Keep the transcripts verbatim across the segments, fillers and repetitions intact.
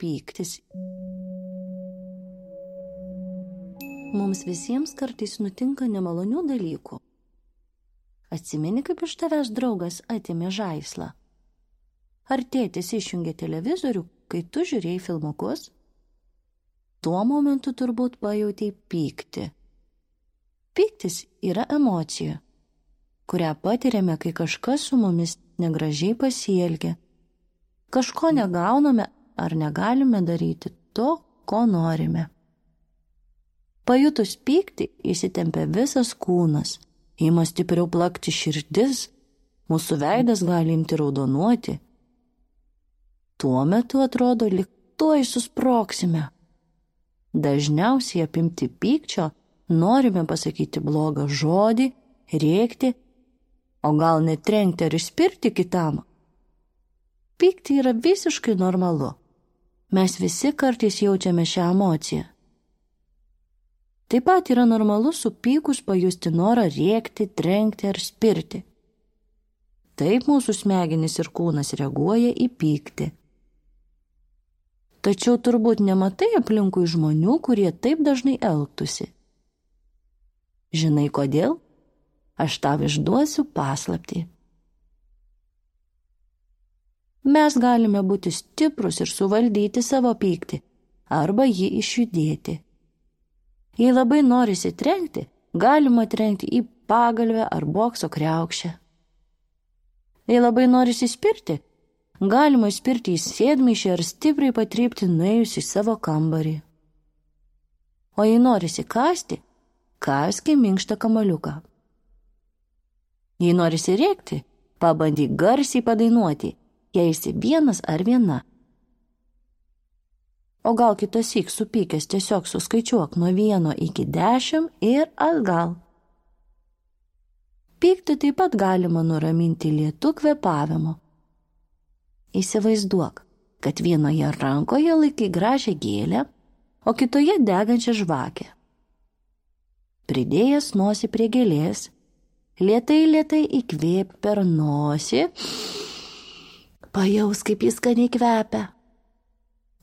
pyktis. Mums visiems kartais nutinka nemalonių dalykų. Atsimeni, kaip iš tavęs draugas atėmė žaislą? Ar tėtis išjungė televizorių, kai tu žiūrėjai filmukus? Tuo momentu turbūt pajautei pyktį. Pyktis yra emocija, kurią patiriame, kai kažkas su mumis negražiai pasielgia. Kažko negauname ar negalime daryti to, ko norime. Pajutus pyktį įsitempia visas kūnas, ima stipriau plakti širdis, mūsų veidas gali imti raudonuoti. Tuo metu atrodo, lyg tuoj susprogsime. Dažniausiai apimti pykčio norime pasakyti blogą žodį, rėkti, o gal net trenkti ar išspirti kitam. Pykti yra visiškai normalu. Mes visi kartais jaučiame šią emociją. Taip pat yra normalu supykus pajusti norą rėkti, trenkti ar spirti. Taip mūsų smegenys ir kūnas reaguoja į pyktį. Tačiau turbūt nematai aplinkui žmonių, kurie taip dažnai elgtųsi. Žinai kodėl? Aš tau išduosiu paslaptį. Mes galime būti stiprus ir suvaldyti savo pyktį, arba jį išjudėti. Jei labai norisi trenkti, galima trenkti į pagalvę ar bokso kriaukšę. Jei labai norisi spirti, galima spirti į sėdmaišį ar stipriai patrypti nuėjus į savo kambarį. O jei norisi kąsti, kąski minkštą kamuoliuką. Jei norisi rėkti, pabandyk garsiai padainuoti, jei esi vienas ar viena. O gal kitąsyk supykęs tiesiog suskaičiuok nuo vieno iki dešimt ir atgal. Pyktį taip pat galima nuraminti lėtu kvėpavimu. Įsivaizduok, kad vienoje rankoje laikai gražią gėlę, o kitoje degančią žvakę. Pridėjęs nosį prie gėlės, lėtai lėtai įkvėp per nosį, pajaus, kaip jis skaniai kvepia.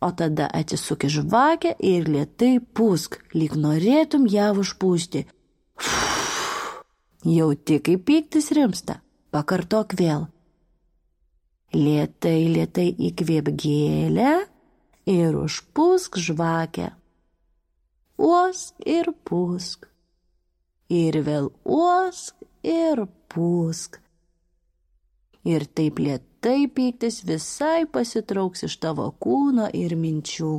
O tada atsisuk į žvakę ir lėtai pūsk, lyg norėtum ją užpūsti. Jauti, kaip pyktis rimsta, pakartok vėl. Lėtai lėtai įkvėp gėlę ir užpūsk žvakę. Uosk ir pūsk. Ir vėl uosk ir pūsk. Ir taip lėtai pyktis visai pasitrauks iš tavo kūno ir minčių.